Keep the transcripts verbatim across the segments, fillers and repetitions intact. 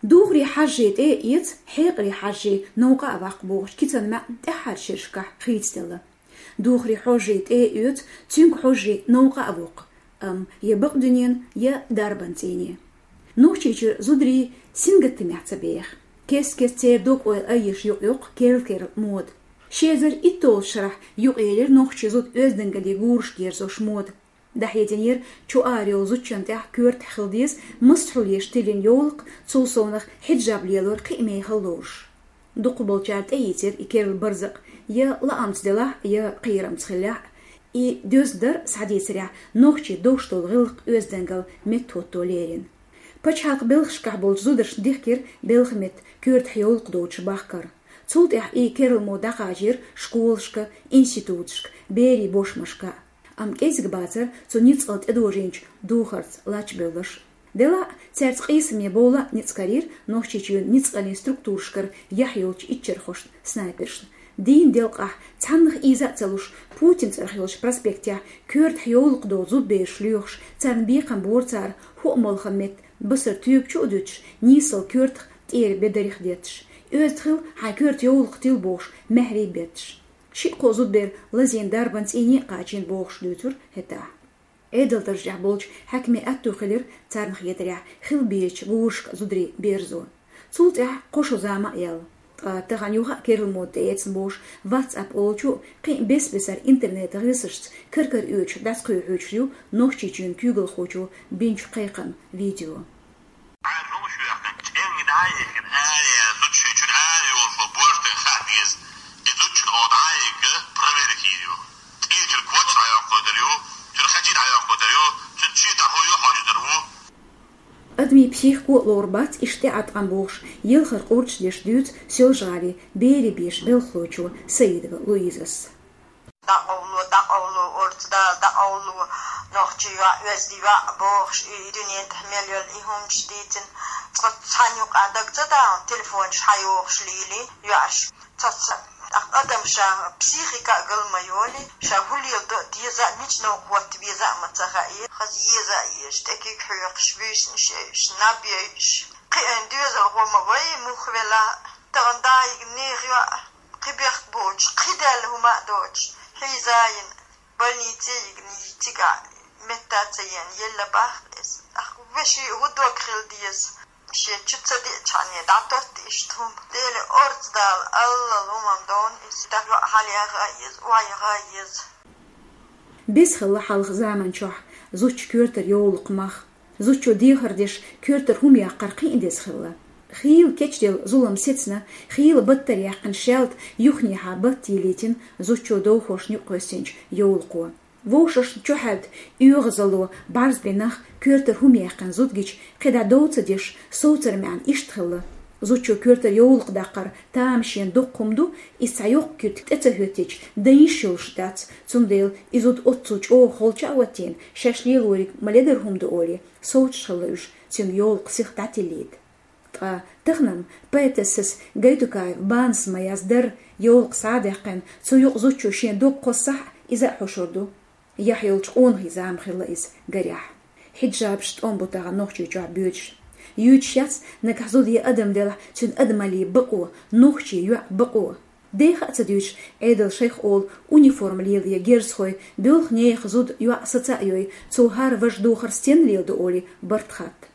Духаре хьажжий тӀе а эца, хьекъале хьажжий новкъа а ваккха бохучу кицан маьӀна тӀаьххьарчу шерашкахь хийцаделла. Духаре хьожжий тӀе а оьцу, цуьнга хьожжий новкъа а воккху, амма я бакъдуьненан, я дарбан цӀийне. Нохчийчуьра зударий сингаттамехь ца беха. Кест-кеста церан дог-ойла айъеш юкъайоккху керла-керла мода. Ши эзар итталгӀачу шарахь юкъаелира нохчийн зуда оьздангаллин гурашка ерзош мода. ДӀахьединера чу ара йолу зудчунна тӀехь коьртахь хила деза массо а хьулъеш тиллина йовлакх, цул совнаха хьиджаб лелор кхин а мехала лоруш. Дукхахболчара тӀеийцира и керла барзакъ, я лаамца делахь а, я кхерамца хиллехь а. И доьзна дар, схьадийцарехь, нохчийн довш долу гӀиллакх, оьздангалла меттахӀотто лерина. Пачхьалкхан белхашкахь болчу зударшна дихкира белхан метта коьртахь йовлакх доцуш бахкар. Цул тӀаьхьа и керла мода дӀакхачийра школашка, институташка, берийн бошмашка. Амма кӀезиг бацара цу ницкъала тӀедожийначу духарца лач бевлларш. Делахь а, цаьрца къийсаме бовла а ницкъ карийра Нохчийчоьнан ницкъаллин структурашкара яхь йолчу иччархошна, снайпершна. Дийнан делкъахь, цхьаннах ийза а ца луш, Путинан цӀарах йолчу проспектехь коьртахь йовлакх доцу зудабераш лоьхуш, царна бекхам бора цара, хӀоъ молханан метта басар туьйга чу а дуьтуш, нийсса коьртах тӀера бедарих детташ. Оьзда хила, хьайн коьрта йовлакх тилла бохуш, маьхьарий бетташ. Шиъ-кхо зудабер лазийна дарбан цӀийне а кхачийна бохуш дуьйцура хӀетахь. Ӏедалан даржехь болчу хьаькамийн аьтту хилира, царна хетарехь, хила безачу гурашка зударий берзо. Цул тӀаьхьа кхо шо зама а яьлла. Ткъа тахана юха а керла мода тӀеэцна бохуш, WhatsApp олучу а, кхин а бес-бесара интернетан гӀирсашца кара-кара оьцуш дӀасакхоьхьуьйтуш ю Нохчийчоьнан куьйгалхочо бинчу кхайкхаман видео. Ӏаьржа хӀума шу яьккхина, чӀенга дӀа а йихкина, ара яьлла зудчо шайн чуьра ара йолуш волу божден хаа деза. И зудчун гӀо дӀа а йигга, проверить йийр ю. ТӀера чуьра коч дӀайоккхуьйтур ю, чуьра хачий дӀайоккхуьйтур ю, цуьнан чуьра хӀун ю хьожуьйтур ву. Адамийн психико а лур бац иштта тӀеӀаткъам бохуш, елхар къурдаш деш дуьйцу Соьлжа-ГӀалин берийн бешан белхалочо Саидова Луизас. ДӀакъовло, дӀакъовло, орца дала, дӀакъовло, нохчий йоӀ, оьзда йоӀ бохуш, и дуьнен тӀехь мел йолу и хӀуманаш дийцина. Цкъа цхьана юкъа даг ца дахана, телефонаш хьайохуш лийли йоӀаш. Цо ца, тӀаккха адам ша психика а гал ма йолий, ша хӀун леладо а деза а, мича новкъа хӀотта веза а ма ца хаьа, хаза еза а езаш, тӀе куьг хьоькхуш, буьйсанаш йойуш, наб йойуш. Кхиъна доьзалхо ма вай, муха велахь а, тахана дайиг нехан йоӀ. Кхин бехк боцуш, кхин даьлла хӀума а доцуш, хьийза а йина, больнице а йигна, цигахь метта ца йина, елла бахка иза. Ах, вешин хӀун дог хила деза? Шен чу ца деачхьана, дӀатотта иштта хӀума. Деле орца дала, аллал хӀумам довна иза, тӀаккха хьалаяха а еза, охьаяха а еза. Беза хилла хьалха заман чохь зудчун коьртара йовлакх мах. Зудчо дехар деш, коьртара хӀума яккхар кхин а деза хилла. Хийла кечделла зулам сецна, хийла баттара яьккхина шаьлта юханехьа батта йиллийтина зудчо довхошна юкъа кхоьссинчу йовлакхо. Вовшашна чухьаьвда оьгӀазалло бӀарзбина нах, коьртара хӀума яьккхина зуда гича, кхидӀа дов ца деш, совцаран маьӀна иштта хилла. Зудчо коьртара йовлакх даккхар тамашийна доккха хӀума ду, иза цхьа йоккха куьртиг тӀе ца хӀоьттича, дан йиш йолуш дац, цундела и зуда оццул чӀогӀа холча а хӀоттийна, шаьш лелориг ма ледара хӀума ду олий, совцуш хилла уьш, цуьнга йовлакх сиха дӀатиллийта. Ткъа тахана-м поэтессас Гайтукаева Банас Майяс дар йовлакх схьа а даьккхина, цу юкъа зудчо шен дог кхоссахь а, иза а хьошур ду. Яхь йолчу къонахий зама хилла иза, гарехь. Хьиджабаш тӀом бу тахана Нохчийчохь боьдуш. Юьйцуш яц, нагахь зуда я адам делахь, цуьнан адамаллин бакъо, нохчийн йоӀ бакъо. Деха а ца дуьйцуш, Ӏедал шайх олу униформа лелае герзахой, боьлху нехан зуда, йоӀ саца а йой, цо хӀара важа духар стенна леладо олий, барт хатта.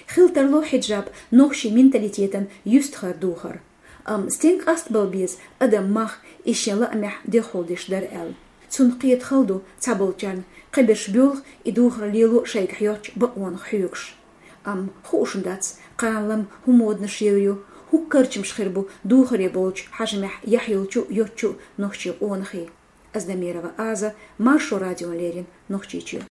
Хила тарло хьиджаб нохчийн менталитетан юьстахара духар. Амма стенга къастабала беза адам мах, иза шен лаамехь деххьулдеш дара аьлла? Цунах кхета хала ду цхьаболчарна, кхиберш боьлху и духар лело шайга хьоьттучу бакъонах хьоьгуш. Амма хууш дац, кхана-м хӀун моданаш йийр ю, хӀун карчамаш хир бу духаре болчу хьажамехь яхь йолчу а, йоцчу а нохчийн къонахий. Аздамирова Аза, Маршо радиона леррина, Нохчийчоь.